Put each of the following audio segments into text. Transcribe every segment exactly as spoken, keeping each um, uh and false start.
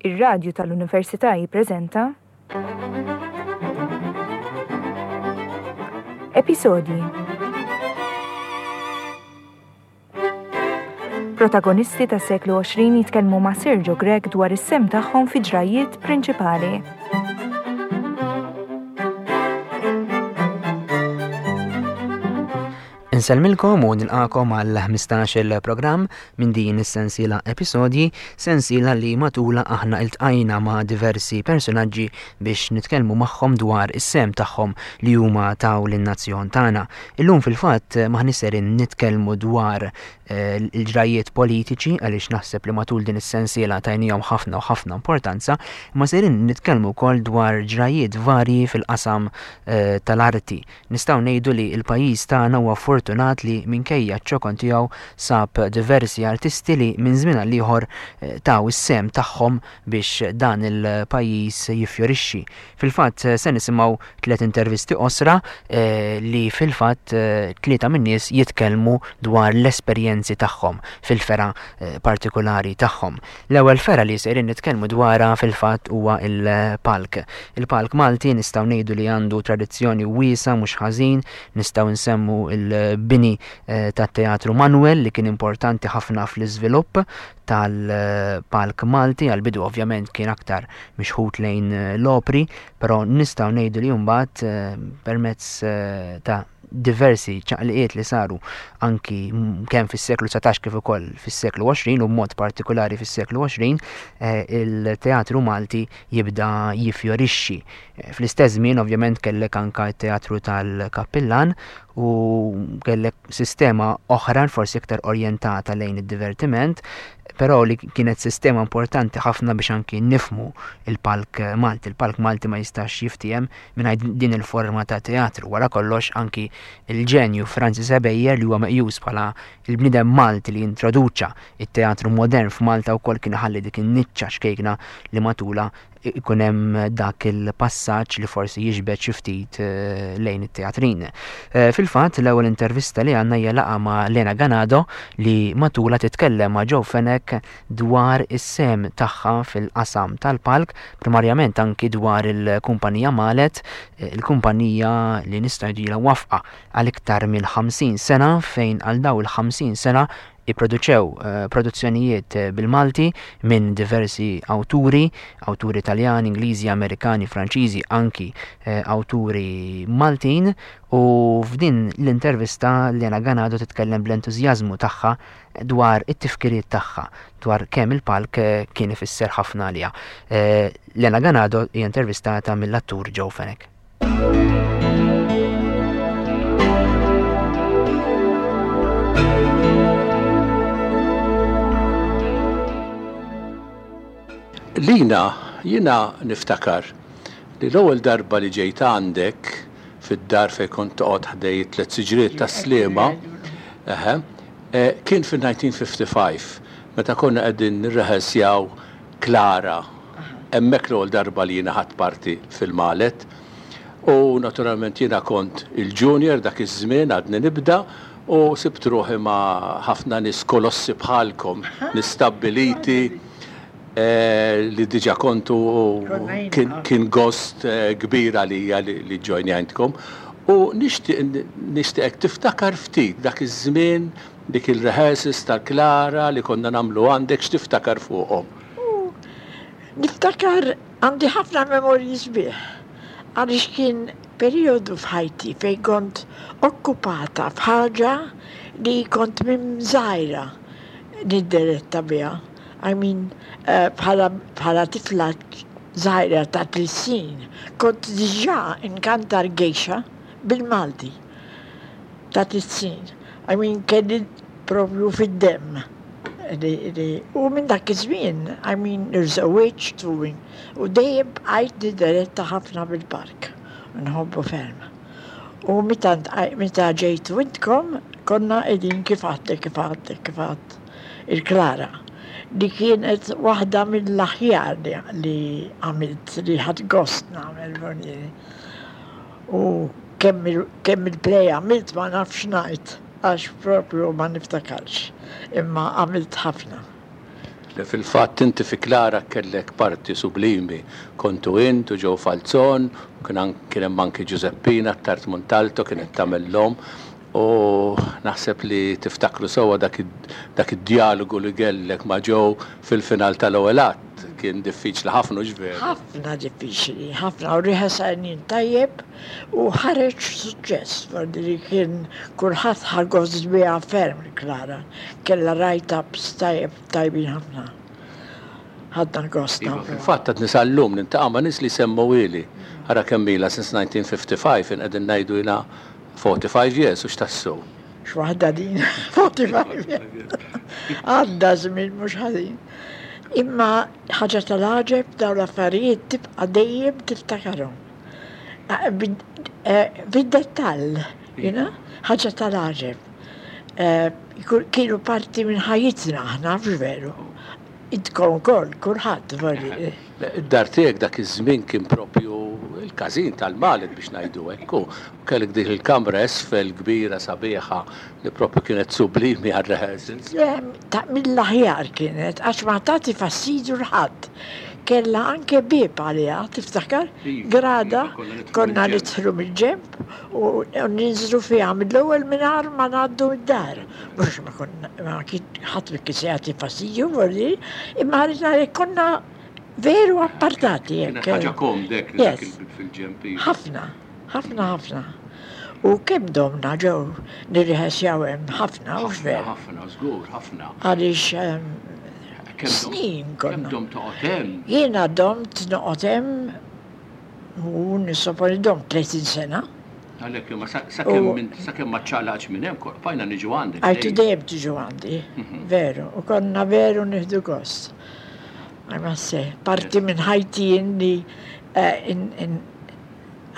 Ir-radju tal-Università jippreżenta Episodji. Protagonisti tas-seklu għoxrin jitkellmu ma' Sergio Grech dwar is-sehem tagħhom fi ġrajiet prinċipali. Insellmilkom u nilqakom għal ħmistax-il programm minn din is-sensiela episodji, sensiela li matula aħna iltqajna ma' diversi personaġġi biex nitkellmu magħhom dwar is-sehem tagħhom li huma taw lin-nazzjon tagħna. Illum fil-fatt maħniex serin nitkellmu dwar, eh, il-ġrajiet politiċi għaliex naħseb li matul din is-sensiela tajnihom ħafna u ħafna importanza, imma serin nitkellmu wkoll dwar ġrajiet varji fil-qasam, eh, tal-arti. Nistgħu ngħidu li l-pajjiż tagħna huwa fortunat li minkejja ċ-ċokon tiegħu sab diversi artisti li minn żmien għal ieħor, eh, taw is-sehem tagħhom biex dan il-pajjiż jiffjorixxi. Fil-fatt se nisimgħu tliet intervisti qosra, eh, li fil-fatt, eh, tlieta min-nies jitkellmu dwar l-esperjenzi tagħhom fil-fera, eh, partikolari tagħhom. L-ewwel fera li sejrin nitkellmu dwarha fil-fatt huwa il-palk. Il-palk Malti nistgħu ngħidu li għandu tradizzjoni wiesa mhux ħażin, nistgħu nsemmu il-bini, eh, tat-Teatru Manuel li kien importanti ħafna fl-iżvilupp tal-palk Malti, għal-bidu ovvjament kien aktar mixħut lejn l-opri, però nistgħu ngħidu li mbagħad, eh, permezz, eh, ta' diversi ċaqliqiet li saru anki m-, kemm fis-seklu dsatax kif ukoll fis-seklu għoxrin u b'mod partikolari fis-seklu għoxrin, eh, il-teatru Malti jibda jiffjorixxi. Eh, fl-istess żmien ovvjament kellek anka t-teatru tal-Kappillan u kellek sistema oħra forsi iktar orjentata lejn id-divertiment, però li kienet sistema importanti ħafna biex anki nifmu il-palk Malti. Il-palk Malti ma jistax jiftiehem mingħajr din il-forma ta' teatru. Wara kollox anki il-ġenju Francis Ebejer li huwa meqjus bħala il-bniedem Malti li introduċa it-teatru modern f'Malta wkoll kien iħalli dik in-niċċa xkejkna li matula ikun hemm dak il-passaġġ li forsi jiġbed xi ftit, eh, lejn it-teatrin. Eh, fil-fatt l-ewwel intervista li għandna hija laqgħa ma' Lena Ganado li matula titkellem ma' Joe Fenech dwar is-sehem tagħha fil-qasam tal-palk, primarjament anki dwar il-kumpanija Malet, eh, il-kumpanija li nista' ngħidilha wafqa għal iktar minn ħamsin sena, fejn għal daw il-ħamsin sena ipproduċew, eh, produzzjonijiet, eh, bil-Malti minn diversi awturi, awturi Taljani, Ingliżi, Amerikani, Franċiżi, anki, eh, awturi Maltin, u f'din l-intervista Lena Ganado titkellem bl-entużjażmu tagħha dwar it-tifkiriet tagħha, dwar kemm il-palk, eh, kien ifisser ħafna għaliha. Eh, Lena Ganado hija intervistata mill-attur Joe Fenech. Lina, jina niftakar li l-ewwel darba li ġejt għandek fid-dar fejn kont toqgħod ħdej tliet siġriet tas-Sliema, eħe, eh, kien fin-nineteen fifty-five, meta konna qegħdin nirrehearsjaw Klara. Hemmhekk l-ewwel darba li jiena ħadt parti fil-Malet. U naturalment jiena kont il-junior dak iż-żmien għadni nibda u sibt ruħi ma' ħafna nies kolossi bħalkom, nistabbiliti, eh, li diġa kontu u Konna jien kien, naf. kien gost, eh, kbir għalija li, li ġojnjajntkom. U nixtieq, nixtieqek tiftakar ftit dak iż-żmien, dik il-rehearsals tal-Klara li konna nagħmlu għandek, x'tiftakar fuqhom? U niftakar għandi ħafna memorji sbieħ, għaliex kien perjodu f'ħajti fejn kont okkupata f'ħaġa li kont minn żgħira nidderetta biha. I mean, eh, bħala, bħala tifla żgħira ta' tliet snin, kont diġà inkantar gejxa bil-Malti ta' tliet snin. I mean, kelli propju fid-demm. Li, li, u minn dak iż-żmien, I mean, irżewwiġt u, u dejjem bqajt nidderetta ħafna bil-park. Nħobbu ferm. U meta nt-, meta ġejtu intkom, konna qegħdin kif għadtek, kif għadtek, kif għadt il-Klara, li kienet waħda mill-aħjar li, li għamilt, li ħadt gost nagħmel voljieri. U kemm il-, kemm il-play għamilt ma nafx ngħid, għax propju ma niftakarx, imma għamilt ħafna. Li fil-fatt inti fi Klara kellek parti sublimi. Kontu int u Joe Falzon, kien an- kien hemm anki Giuseppina Tart Montalto kienet tagħmel l-omm. U naħseb li tiftakru sewwa dak id- dak id-dialogu li kellek ma' Joe fil-final tal-ewwel att. Kien diffiċli ħafna hux veru. Ħafna diffiċli, ħafna u riħesajnin tajjeb u ħareġ suċċess, li kien kulħadd ħa gost biha ferm Klara. Kella write-ups tajjeb tajbin ħafna. Ħadna gost Iva, nagħmlu. fil-fatt għad nisallum niltaqa' ma' nies li semmuhieli. Ara kemm ilha since nineteen fifty-five, in qegħdin ngħidu ilha forty-five years u x'tassu. X'waħda din, forty-five years. Għadda żmien mhux ħażin. Imma ħaġa tal-għaġeb, dawn l-affarijiet tibqa' dejjem tiftakarhom. Ah, bid- eh, Bid-dettall, you know? Ħaġa tal-għaġeb. Eh, Kienu parti minn ħajjitna aħna, mhux veru? Intkom ukoll, kulħadd, vorri. Id-dar tiegħek dak iż-żmien kien propju il-każin tal-Maled biex ngħidu hekk. U kellek dik il-kamra esfel kbira sabiħa li propju kienet sublimi għal-rehearsals. Le, ta' mill-aħjar kienet, għax ma tagħti fastidju 'l ħadd. Kella anke bieb għaliha, tiftakar? Iva, Grada, iva, konna nidħlu konna mill-ġenb. nidħlu mill-ġenb u u ninżlu fiha mill-ewwel mingħajr ma ngħaddu mid-dar. Mhux ma konna, ma kien ħadd ma kien se jagħti fastidju, vorri, imma ridna li konna veru appartati. Kienet hekk. ħaġa komdek li dak Yes. il-bib fil-ġenb. Iva. Ħafna, ħafna, ħafna. U kemm domna ġew nirriħesjaw hemm ħafna, u Ħafna, veru. ħafna, żgur, ħafna. Għaliex ehm, Kemm dom- snin Kemm konna. dom toqgħod hemm? Jiena domt noqgħod hemm u nissoponi domt tletin sena. Għalhekk imma sa- sakemm U- minn- sakemm ma ċċaqlaqx minn hemm, bqajna niġu għandek. Għajtu dejjem. dejjem tiġu għandi, veru, u konna veru nieħdu gost. I must say, parti minn ħajti inni eh, in, in,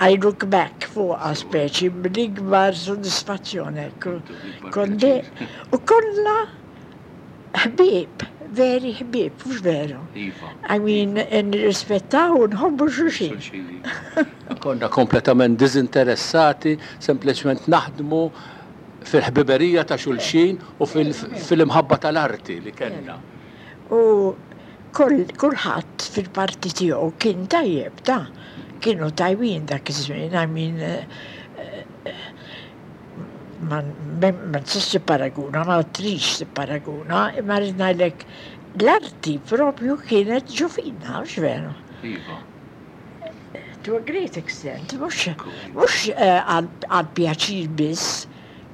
I look back fuq speċi bl-ikbar soddisfazzjoni. ekku. Bl-ikbar Konde, pjaċir. u kollha ħbieb, veri ħbieb, mhux veru? Iva. I mean, nirrispettaw u nħobbu xulxin. Xulxin, iva. Konna kompletament dizinteressati, sempliċement naħdmu fil-ħbiberija ta' xulxin u fil- fil-imħabba tal-arti li kellna. U kull kulħadd fil-parti tiegħu kien tajjeb, ta' kienu tajbin dak iż-żmien, I mean, eh, eh, ma ma ma tistax tipparaguna, ma trix tipparaguna, imma rrid ngħidlek l-arti propju kienet ġo fina, mhux veru? Iva. To a great extent, mhux mhux eh, għal għal pjaċir biss,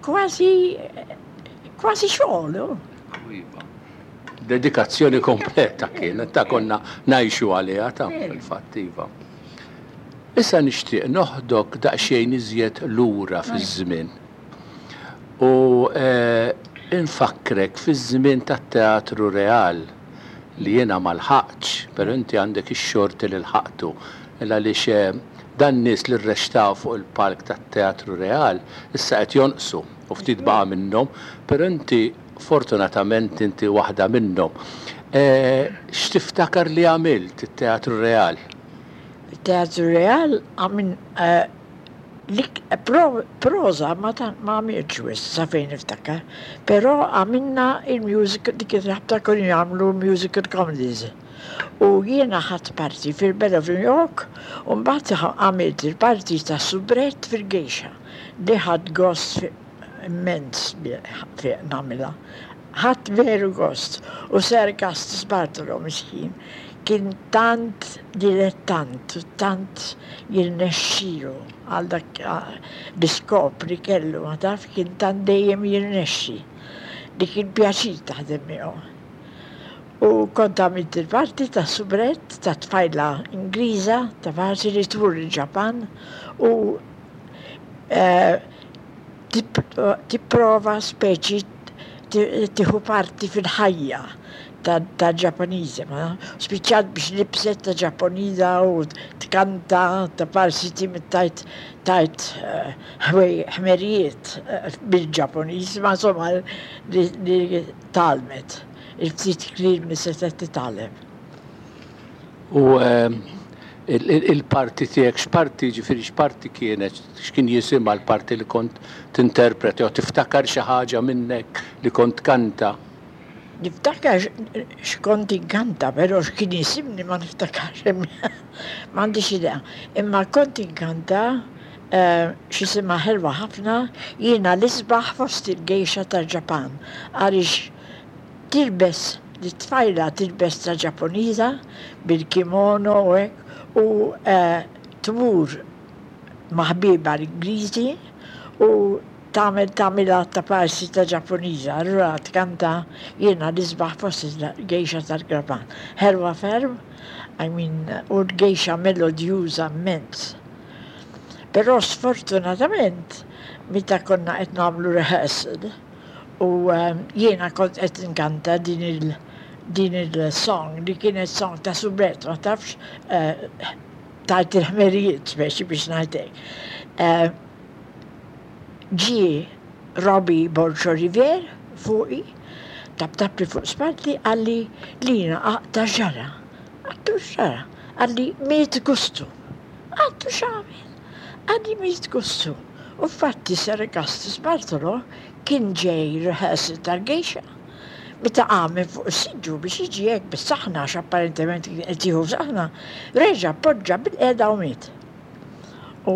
kważi kważi xogħol. oh. Iva. Dedikazzjoni kompleta kienet, ta' konna ngħixu għaliha ta' fil-fatt, iva. Issa nixtieq noħdok daqsxejn iżjed lura fiż-żmien. U eh, infakkrek fiż-żmien tat-Teatru Real li jiena ma lħaqtx, però inti għandek ix-xorti li lħaqtu. Għaliex eh, dan nies li rreċtaw fuq il-palk tat-Teatru Real issa qed jonqsu u ftit baqa' minnhom, però inti fortunatament inti waħda minnhom. Eh, X'tiftakar li għamilt it-Teatru Real? Teatru Real għamin eh, lik pro, proza ma ta' ma għamiltx wisq sa fejn niftakar, però għamilna il-musical, dik il-ħabta konna jagħmlu musical comedies. U jiena ħadt parti fil-Belle of New York u mbagħad għamilt il-parti ta' Soubrette fil-Geisha li ħadt gost fi- immens bi- fi nagħmilha. Ħadt veru gost. U Sir Augustus Bartolo miskin kien tant dilettant u tant jirnexxilu għal dak ah, l-iskop li kellu, ma taf, kien tant dejjem jirnexxi li kien pjaċir taħdem miegħu. U kont għamilt il-parti ta' Soubrette, ta' tfajla Ingliża, ta' parti li tmur il-Ġapan u eh, tip- tipprova speċi ti- tieħu parti fil-ħajja ta' ta' Ġappuniżi, ma spiċċat biex libset ta' Ġappuniża u tkanta ta' parsi tajt tajt eh, ħwej- ħmerijiet eh, bil-Ġappuniż, ma insomma li li tgħallmet il-ftit kliem li setgħet titgħallem. U ehm, il- il- il-parti tiegħek, x'parti ġifieri x'parti kienet, x'kien jisimha l-parti li kont tinterpreti jew tiftakar xi ħaġa minnek li kont kanta? Niftakar x'kont inkanta, però x'kien jisimni ma niftakarx, m'għandix idea. Imma kont inkanta x'isimha ħelwa ħafna, jiena l-isbaħ fost il-gejxa tal-Ġapan, għaliex tilbes l-tfajla tilbes ta' Ġappuniża bil-kimono u hekk u tmur ma' ħbiebha l-Ingliżi u tagħmel tagħmilha ta' parsi ta' Ġappuniża, allura tkanta jiena l-isbaħ fost il-gejxa tal-Ġapan. Ħelwa ferm, I mean, u l-gejxa melodjuża immens. Però sfortunatament, meta konna qed nagħmlu rehearsal, u jiena kont qed inkanta din il din il-song li kienet song ta' soubrette, ma tafx tajt il-ħmerijiet speċi biex ngħidlek. Ġie Robbie Borg Olivier fuqi, taptapli fuq spalti, qalli Lina aqta' x'ġara. Għedtlu x'ġara? Qalli miet Gustu. Għedtlu x'għamel? Qalli miet Gustu. U fatti Sir Augustus Bartolo kien ġej rehearsal tal-gejxa. Meta qam minn fuq is-siġġu biex jiġi hekk bis-saħna, għax apparentement kien qed jieħu saħna, reġa' poġġa bil-qiegħda u miet. U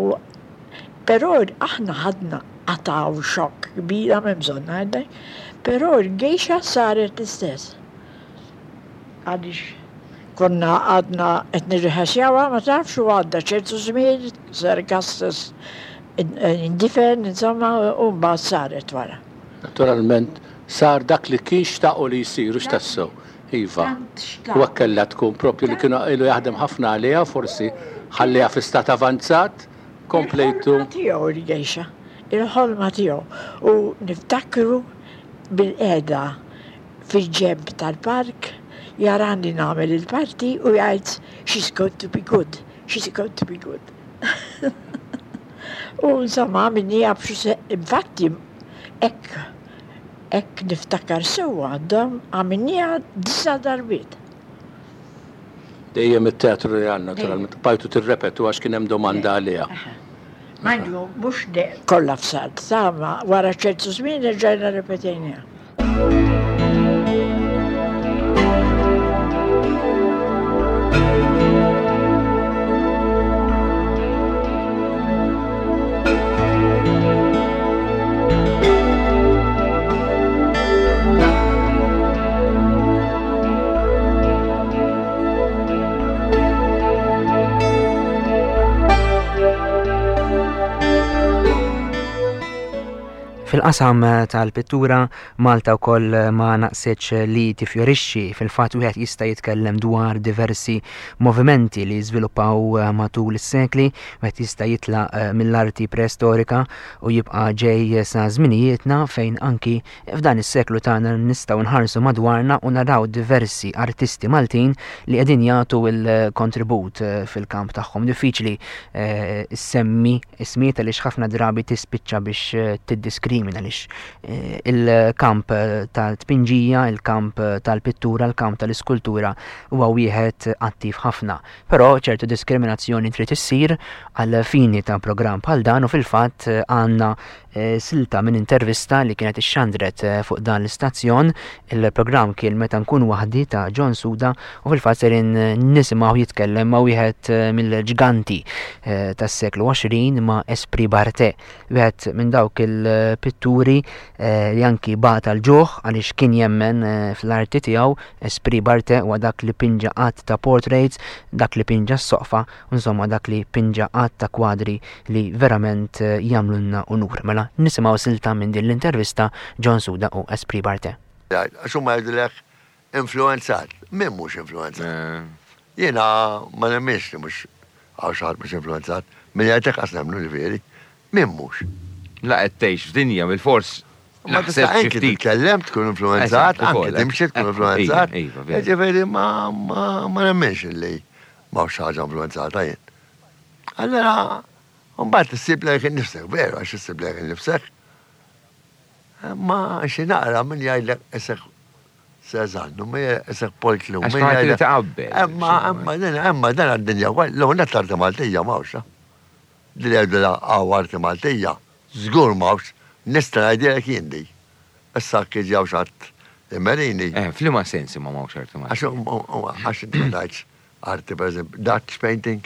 però aħna ħadna qatgħu xokk kbira m'hemm bżonn ngħidlek, però l-gejxa saret l-istess. Għaliex konna għadna qed nirriħasjawha, ma tafx, u għadda ċertu żmien, Sir Augustus indifen, insomma, u mbagħad saret wara. Naturalment, sar dak li kien xtaqu li jsir, u x'tassew. Iva. U hekk kellha tkun propju li kienu ilu jaħdem ħafna għaliha, forsi ħalliha fi stat avanzat, komplejtu. Il-ħolma tiegħu il-gejxa, il-ħolma tiegħu. U niftakru bil-qiegħda fil-ġenb tal-park, jarani nagħmel il-parti u jgħid she's going to be good, she's going to be good. U insomma, minni għabxu, infatti, hekk, hekk niftakar sewwa għandhom għamilniha disa' darbiet. Dejjem it-teatru li għandna, naturalment, bajtu tirrepetu għax kien hemm domanda għaliha. Manju, mhux kollha f'salt, sama wara ċertu żmien erġajna ripetejniha. Fil-qasam tal-pittura, Malta wkoll ma naqsitx li tifjorixxi. Fil-fatt wieħed jista' jitkellem dwar diversi movimenti li żviluppaw matul is-sekli, wieħed jista' jitlaq mill-arti preistorika u jibqa' ġej sa żminijietna fejn anki f'dan is-seklu tagħna nistgħu nħarsu madwarna u naraw diversi artisti Maltin li qegħdin jagħtu l-kontribut fil-kamp tagħhom. Diffiċli ssemmi ismijiet għaliex ħafna drabi tispiċċa biex tiddiskrivi għaliex il-kamp tal-tpinġija, il-kamp tal-pittura, il-kamp tal-iskultura huwa wieħed attiv ħafna. Però ċertu diskriminazzjoni trid issir għal fini ta' programm bħal dan u fil-fatt għandna silta minn intervista li kienet ixxandret fuq dan l-istazzjon. Il-programm kien Meta Nkun Waħdi ta' John Suda u fil-fatt serin nisimgħu jitkellem ma' wieħed mill-ġganti tas-seklu għoxrin ma' Esprit Barthet, wieħed minn dawk il-pitturi li anki bata l-ġuħ għaliex kien jemmen fl-arti tiegħu. Esprit Barthet huwa dak li pinġa qatt ta' portraits, dak li pinġa s-soqfa, insomma dak li pinġa qatt ta' kwadri li verament jagħmlulna unur. Mela nisimgħu silta minn din l-intervista John Suda u Esprit Barthet. Għax huma jgħidulek influenzat. Min mhux influenzat? Jiena ma nemminx li mhux hawn xi ħadd mhux influenzat. Min jgħidlek qas nemmnu ġifieri. Min mhux? La qed tgħix f'dinja bil-fors. Ma tista' anki titkellem tkun influenzat, anki timxi tkun influenzat. Ġifieri ma nemminx li m'hawnx ħaġa influenzata jien. Allora, mbagħad issib lejk innifsek, veru għax issib lejk innifsek. Ma xi naqra min jgħidlek isek Cézanne, min isek Paul Klee, min jgħidlek taqabbel. Imma imma din imma dan għad-dinja wkoll, l-ewwel nett l-arti Maltija m'hawnx. Li jgħidu hawn arti Maltija, żgur m'hawnx, nista' ngħidilek jien di. Issa kif ġew xi ħadd Immerini. Eh, f'liema sens imma m'hawnx arti Għax Maltija? għax inti ma tgħidx arti, per eżempju, Dutch painting.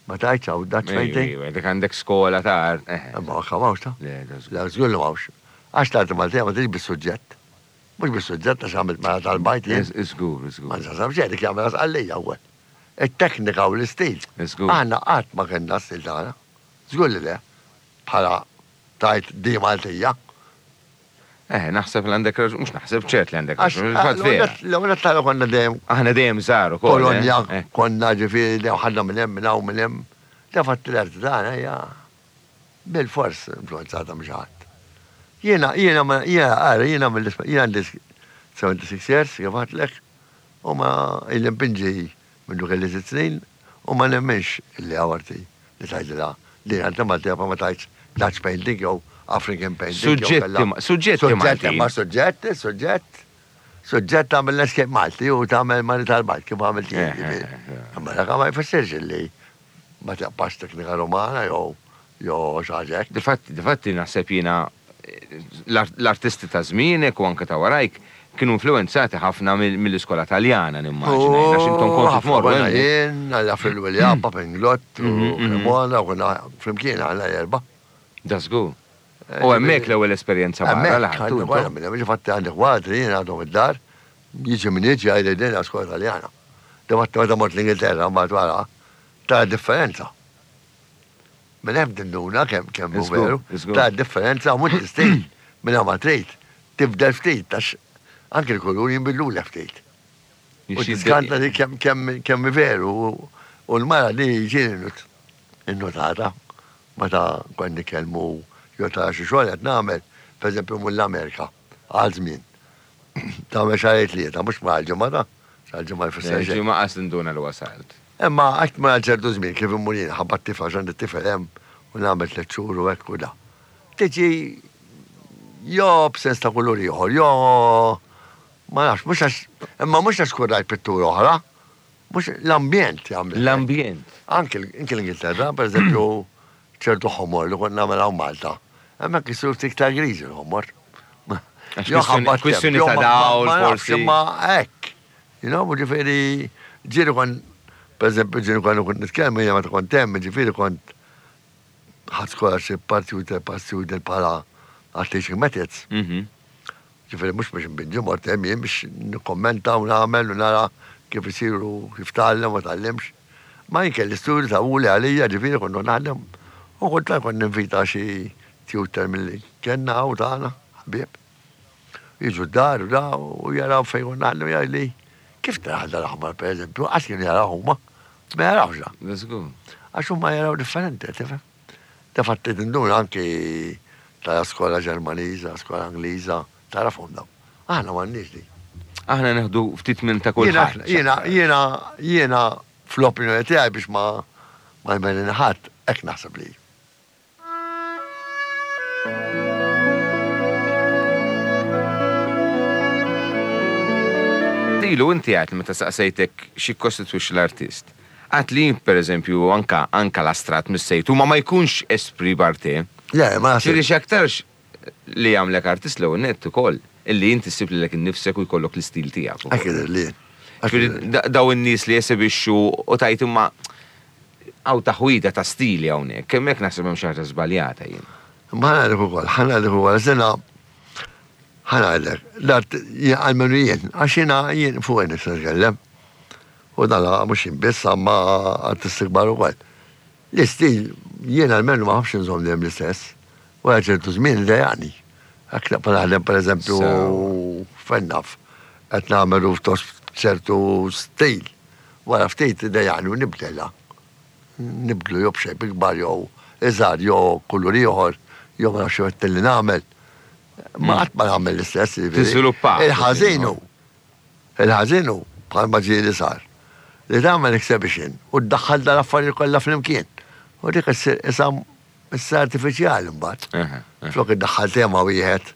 Ma tgħidx hawn Dutch painting. Ejwa, dik għandek skola ta' art. eh. Ma m'hawnx ta' Le, da żgur. La żgur li m'hawnx. Għax l-arti Maltija ma tiġ bis-suġġett. Mhux bis-suġġett għax għamilt mara tal-bajt jien. Żgur, żgur. Ma nsasam xejn dik jagħmel għalija wkoll. It-teknika u l-istil. Żgur. Aħna qatt ma kellna stil tagħna. Żgur li le. Bħala tajt di Maltija. Eh, naħseb li għandek raġun, mhux naħseb ċert li għandek Għax raġun, il-fatt vera. l-ewwel tagħna konna dejjem Aħna dejjem żgħar ukoll. eh? Kolonja, Eh, konna ġifieri dejjem ħadna minn hemm minn hawn minn hemm. Da fatt l-arti tagħna hija bil-fors influenzata minn xi ħadd. Jiena jiena ma jiena ara jiena mill jiena għandi seventy-six years kif għedtlek u ma illi npinġi minn kelli sitt snin u ma nemminx illi hawn arti li tgħidilha li arti Maltija pa ma tgħidx Dutch painting jew African painting. jew Suġġetti kellha- ma- suġġetti Suġġetti Maltin. ma suġġetti, suġġett. Suġġett tagħmel landscape Malti u tagħmel mani tal-Bajt kif għamilt jien. Eh, ġifieri. eh, eh. Imma dak ma jfissirx illi ma tibqax teknika Romana jew jew xi ħaġa hekk. Difatti, difatti naħseb jiena eh, l-art- l-artisti ta' żmienek u anke ta' warajk kienu influenzati ħafna mill- mill-iskola Taljana nimmaġina. jien, Għax intom kontu Ħafna tmorru konna hemm. jien, għalla fil-William, Papinglott, u Mhm, mhm. Cremona, u konna flimkien għalla erba. Da żgur. U hemmhekk l-ewwel esperjenza barra Hemmhekk, li ħadtu għandi wara intom. minn hemm, ġifatti għandi kwadri jien għadhom id-dar, jiġi minn jiġi għajli din skola Taljana. Difatti meta mort l-Ingilterra mbagħad wara, tara differenza. Minn hemm tinduna kemm kemm hu Iżgur, veru, iżgur. tara differenza mhux l-istil minn hemm ma trid, tibdel ftit għax anke l-kulur jinbidlu ftit. U Jixi- tiskanta li kemm kemm kemm veru u- u l-mara li ġieli innotata meta kont nitkellmu jew tara xi xogħol qed nagħmel, pereżempju minn l-Amerika għal żmien. Tagħmel xahar tlieta, mhux ma ġimgħa ta' xahar ġimgħa jfisser xejn. Ġimgħa qas tinduna li wasalt. Imma qatt ma ċertu żmien kif immur jien ħabba t-tifel għax għandi t-tifel hemm u nagħmel tliet xhur u hekk u da. Tiġi jo b'sens ta' kulur ieħor, jo ma nafx, mhux għax imma mhux għax tkun rajt pittura oħra, mhux l-ambjent jagħmel. L-ambjent. Anke l- anke l-Ingilterra, per eżempju, ċertu ħomor li konna nagħmel hawn Malta. Hemmhekk isiru ftit iktar griżi l-ħomor. Għax Jew ħabba kwistjoni- kwistjoni temp, jew ta' ma- ma- dawl, ma nafx, forsi. Imma hekk. You know, ġifieri ġieli kon, per eżempju, ġieli kon kont nitkellem, jiena meta kont hemm, ġifieri kont ħadd scholarship parti u parti u bħala għal teaching methods. Mhm. Ġifieri mhux biex nbinġi mort hemm jien biex nikkommenta u nagħmel u nara kif isiru, kif tgħallem u tgħallimx. Ma jien kelli studju ta' uli għalija, ġifieri kont naħdem u kont kont ninvita xi tutor milli kellna u tagħna, ħbieb. Jiġu d-dar u da u jaraw fejn kont naħdem jgħidli kif taraħ dal-aħmar per eżempju, għax kienu jaraw huma, ma jarawx da. Da żgur. Għax huma jaraw differenti, tifhem? Da fatti tinduna anki ta' skola Ġermaniża, skola Angliża, tarafhom daw. Aħna m'għandniex di. Aħna neħdu ftit minn ta' Jiena, kulħadd. jiena, jiena, jiena fl-opinjoni tiegħi biex ma ma jmenin ħadd, hekk naħseb li. Ilu inti għat li meta saqsejtek xi kostitwix l-artist. Għat li per eżempju anka anka l-astrat missejtu ma ma jkunx esprit barte. Le, ma Ġifieri naħseb. x'aktarx li jagħmlek artist l-ewwel nett ukoll illi inti ssib lilek innifsek u jkollok l-istil tiegħek. ukoll. Hekk jidher li. Hekk Ġifieri jidher li. da- daw in-nies li jesebixxu u tajt imma għaw taħwida ta' stili hawnhekk, kemm hekk naħseb hemm xi ħaġa żbaljata jien. Ma ħa ngħidlek ukoll, ħa ngħidlek ukoll, sena ħa ngħidlek, l-art jien għalmenu jien, għax jiena jien fuq nista' nitkellem. U dan mhux jien biss, ma artisti kbar ukoll. L-istil jien għalmenu ma ħafx nżomm dejjem l-istess. Wara ċertu żmien dejjaqni. Hekk naqbel naħdem pereżempju Sew. fejn naf, qed nagħmel rooftop ċertu stil. Wara ftit dejjaqni u nibdilha. Nibdlu jew b'xejn ikbar jew iżgħar jew kulur ieħor jew ma nafx xi li nagħmel. Ma qatt ma nagħmel l-istess. jiġifieri. Tiżviluppa. Il-ħażin hu. Il-ħażin hu bħalma ġieli sar. Li tagħmel exhibition u ddaħħal dal-affarijiet kollha flimkien. U dik issir isa issa artifiċjali mbagħad. Aha, aha. Flok iddaħħal tema wieħed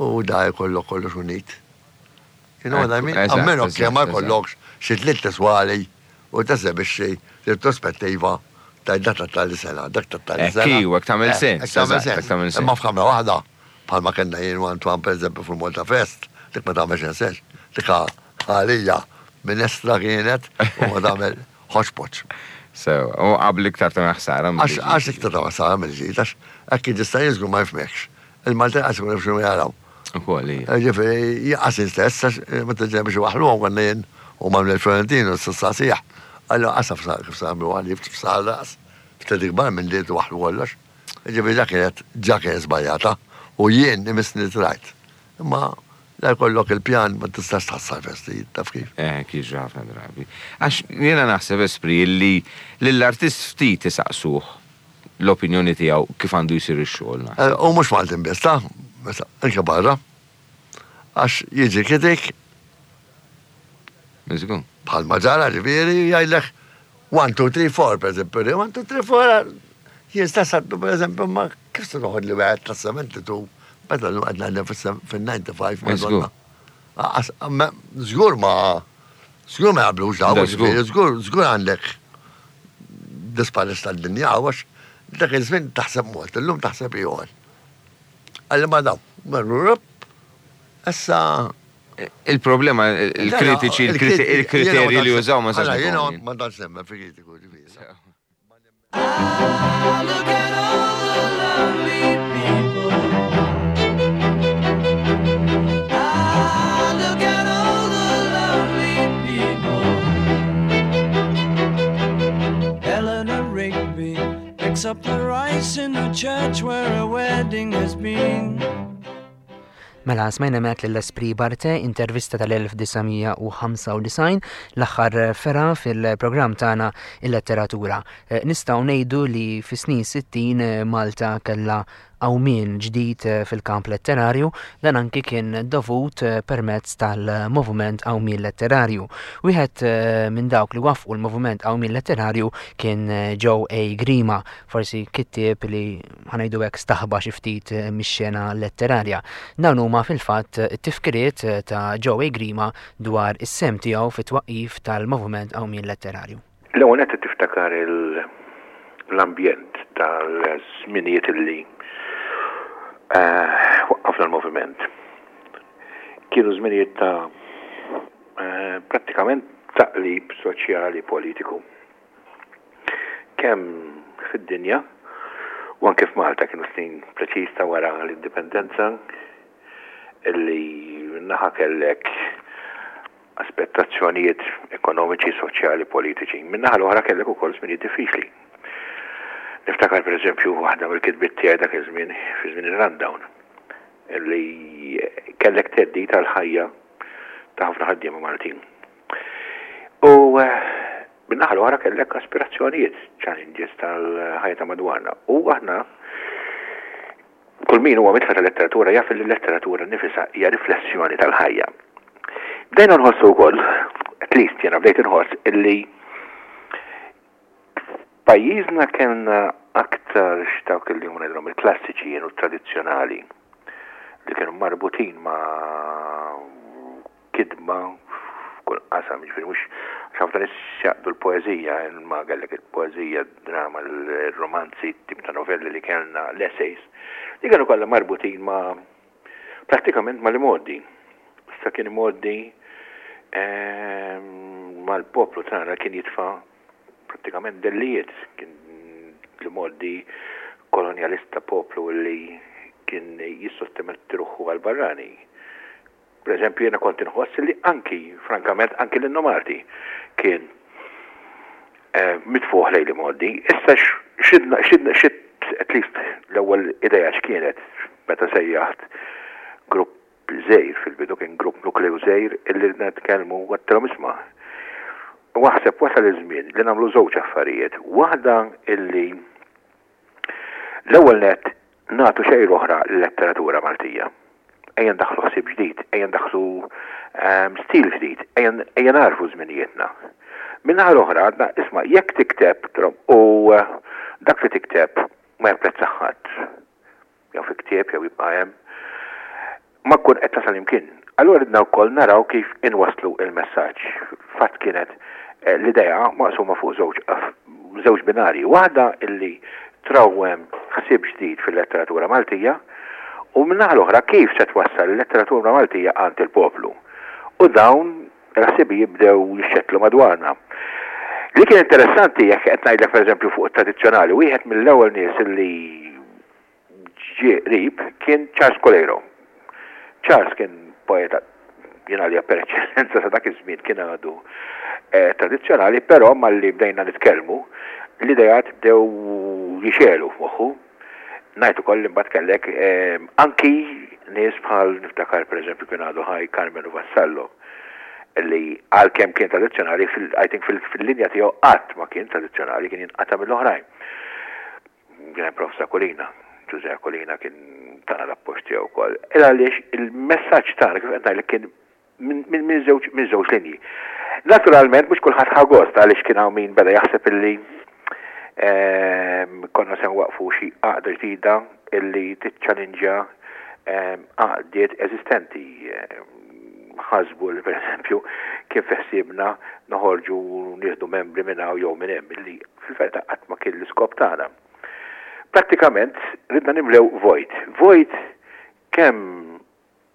u da jkollok kollox unit. You know what I mean? Eżatt, Almeno eżatt, kemm ma eżatt. jkollokx xi tliet tiswali u tesebixxi retrospettiva ta' dak ta' tali sena, dak ta' tali Ekk, sena. iwa, hekk tagħmel Eh, sens, hekk tagħmel eżatt, hekk tagħmel sens. sens. Imma f'kamra waħda, bħalma kellna jien u Antoine per eżempju fil-Malta Fest, Dik ma tagħmel sens. Dik għalija minestra kienet u ma tagħmel hodgepodge. Sew, u qabel iktar ta' ħsara. Għax għax iktar ta' ħsara mill-ġid, għax hekk jista' jiżgur ma jifhmekx. Il-Maltin għax ikun jifhmu jaraw. Ukoll hija. Ġifieri jaqas stess għax meta ġej biex waħluhom konna jien u Manuel Florentino s-sasih. Għallu qasaf sa kif sa għalli f'sar ras. Ftit ikbar minn li waħlu kollox. Ġifieri ġa kienet ġa kienet żbaljata u jien imissni trajt. Imma la jkollok il-pjan ma tistax tħassar festi, taf kif. Eh, kif ħafna drabi. Għax jiena naħseb espri li lill-artist ftit isaqsuh l-opinjoni tiegħu kif għandu jsir ix-xogħol. Eh, u mhux Maltin biss, ta' anke barra. Għax jiġi kritik. Miżgur. Bħal ġara ġifieri jgħidlek one, two, three, four, per eżempju, one, two, three, four, jien stess għaddu, per eżempju, ma kif se toħod li wieħed ta' seventy-two, meta l għadna fil-ninety-five, madonna. Żgur ma, żgur ma jaqblux daw, żgur, żgur għandek disparis tal-dinja, għax dak iż-żmien taħseb mod, illum taħseb ieħor. Għalli ma daw, marru issa. Il-problema, il-kritiċi, il-kriterji li jużaw ma sax. Jiena ma tantx nemmen fi kritiku, ġifieri. Look at all the lonely people. Ah, look at all the lonely people. Eleanor Rigby picks up the rice in the church where a wedding has been. Mela, smajna mek l-Esprit Barte, intervista tal-elf disa' mija u ħamsa u disgħin, l-aħħar fergħa fil-programm tagħna il-letteratura. Eh, nistgħu ngħidu li fis-snin sittin, eh, Malta kellha qawmien ġdid, eh, fil-kamp letterarju, dan anki kien dovut, eh, permezz tal-moviment qawmien letterarju. Wieħed, eh, minn dawk li waffqu l-moviment qawmien letterarju kien, eh, Joe A. Grima, forsi kittieb li ħanajdu hekk staħba xi ftit, eh, mix-xena letterarja. Dawn huma fil-fatt it-tifkiriet, eh, ta' Joe A. Grima dwar is-sem tiegħu fit-twaqqif tal-moviment qawmien letterarju. L-ewwel qed tiftakar il-, l-ambjent tal-żminijiet illi Eh, waqqafna l-moviment. Kienu żminijiet ta', eh, prattikament taqlib soċjali politiku. Kemm fid-dinja u anke f'Malta kienu snin preċiż ta' wara l-indipendenza illi naħa kellek aspettazzjonijiet ekonomiċi, soċjali, politiċi. Min-naħa l-oħra kellek ukoll żminijiet diffiċli. Niftakar per eżempju waħda mill-kitbiet tiegħi dak iż-żmien fi żmien ir-rundown illi kellek theddid tal-ħajja ta' ħafna ħaddiema Maltin. U, eh, min-naħa l-oħra kellek aspirazzjonijiet, challenges tal-ħajja ta' madwarna. U aħna kull min huwa mitħla tal-letteratura jaf li l-letteratura nifisha hija riflessjoni tal-ħajja. Bdejna nħossu wkoll, at least jiena bdejt inħoss illi pajjiżna kellna aktar x'dawk li huma ngħidulhom il-klassiċi kienu tradizzjonali li kienu marbutin ma' kidma f'kull qasam, jiġifieri mhux għax ħafna nies jaqdu l-poeżija, imma kellek il-poeżija, drama, il-romanzi, tip ta' novelli li kellna, l-essays, li kienu kollha marbutin ma' prattikament ma' l-modi. Issa kien modi, ehm, mal-poplu tagħna kien jitfa' prattikament dellijiet, kien l-modi kolonialista poplu li kien jissottometti ruħu għal-barrani. Per eżempju, jena kont inħoss li anki, frankament, anki l-Innu Malti kien, eh, mitfuħ lejn li modi. Issa x-, xidna, xidna, xid, at least l-ewwel idea x'kienet meta sejjaħt grupp żgħir fil-bidu, kien grupp nukleu żgħir illi nitkellmu għattilhom isma'. Waħseb wasal iż-żmien li nagħmlu żewġ affarijiet. Waħda illi l-ewwel nett nagħtu xejn oħra l-letteratura Maltija. Ejja ndaħħlu ħsieb ġdid, ejja ndaħħlu, ehm, stil ġdid, ejja, ejja narfu żminijietna. Min-naħa l-oħra għadna isma' jekk tikteb trom, u, eh, dak li tikteb ma japprezza ħadd, jew fi ktieb jew jibqa' hemm, ma tkun qed tasal imkien. Allura ridna wkoll naraw kif inwasslu il-messaġġ. Fatt kienet, eh, l-idea maqsuma fuq żewġ, żewġ binarji. Waħda illi trawwem ħsieb ġdid fil-letteratura Maltija U min-naħa l-oħra kif se twassal il-letteratura Maltija għand il-poplu. U dawn il-ħsibijiet bdew jixxettlu madwarna. Li kien interessanti jekk qed ngħidlek pereżempju fuq it-tradizzjonali, wieħed mill-ewwel nies li ġie qrib kien Charles Coleiro. Charles kien poeta jien għalija per eċċellenza sa dak iż-żmien kien għadu eh, tradizzjonali, però malli bdejna nitkellmu l-idejat bdew jixegħlu f'moħħu. Ngħid ukoll li mbagħad kellek eh, anki nies bħal niftakar pereżempju kien għadu ħaj Karmenu Vassallo li għalkemm kien tradizzjonali fil I think fil-linja tiegħu qatt ma kien tradizzjonali kien jinqata' mill-oħrajn. Kien hemm Prof. Aquilina, Ġużè Aquilina kien tana l-appoġġ tiegħu wkoll. Il għaliex il-messaġġ tagħna kif qed ngħidlek kien minn żewġ minn żewġ linji. Naturalment mhux kulħadd ħa gost għaliex kien hawn min beda jaħseb illi ehm, konna se nwaqfu xi għaqda ġdida illi tiċċalinġja ehm, għaqdiet eżistenti. Ehm, ħasbu li pereżempju kien fi ħsiebna noħorġu nieħdu membri minn hawn jew minn hemm illi fil-verità qatt ma kien l-iskop tagħna. Prattikament ridna nimlew vojt. Vojt kemm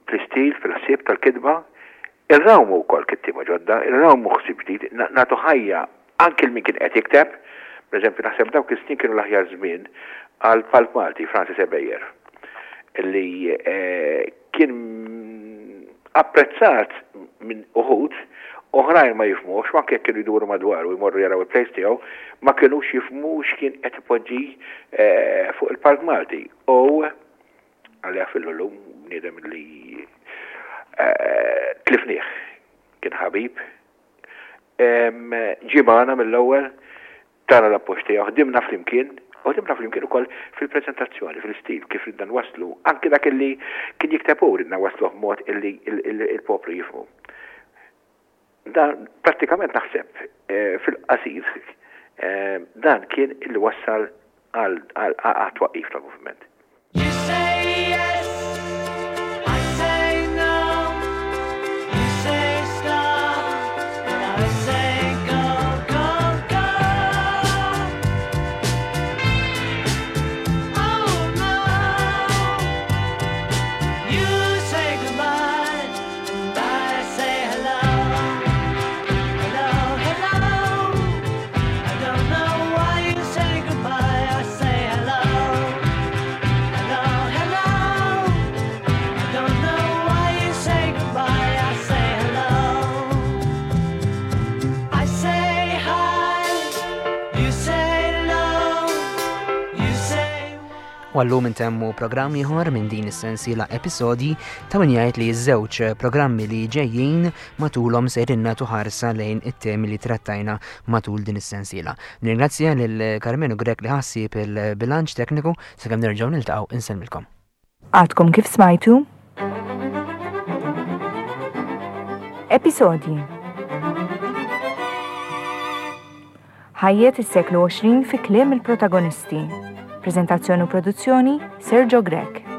fl-istil, fil-ħsieb tal-kitba, irrawmu wkoll kittieba ġodda, irrawmu ħsieb ġdid, nagħtu ħajja anki lil min kien qed jikteb. Pereżempju naħseb dawk is-snin kienu l-aħjar żmien għal Palk Malti, Francis Ebejer, li eh, kien apprezzat minn uħud, oħrajn ma jifhmux, anke jekk kienu jduru madwaru jmorru jaraw il-plays tiegħu, ma kinux jifhmu x'kien qed ipoġġi eh, fuq il-Palk Malti. U għalija fil-lum bniedem li eh, tlifnieh, kien ħabib, ġie magħna mill-ewwel, tana l-appoġġ tiegħu, ħdimna flimkien, u ħdimna flimkien ukoll fil-preżentazzjoni, fil-istil, kif ridna nwasslu, anki dak illi kien jikteb hu ridna nwassluh b'mod illi il-poplu jifhmu. Dan prattikament naħseb eh, fil-qasir eh, dan kien illi wassal għal twaqqif tal-moviment. You say yes, I say no. You say stop, and I say go, go, go. Oh no. You say goodbye, and I say hello. Hello, hello. I don't know why you say goodbye. I say hello. Hello, hello. I don't know why you say goodbye. I say hello. I say hi. You say low. You say. U għallum intemmu programm ieħor minn din is-sensiela episodji ta' min jgħid li ż-żewġ programmi li ġejjin matulhom sejrin nagħtu ħarsa lejn it-temi li trattajna matul din is-sensiela. Nirringrazzja lil Karmenu Grech li ħa ħsieb il-bilanċ tekniku sakemm nerġgħu niltaqgħu insellmilkom. Għadkom kif smajtu? Episodji Ħajjet is-seklu għoxrin fi kliem il-protagonisti. Prezentazzjoni u produzzjoni Sergio Grech.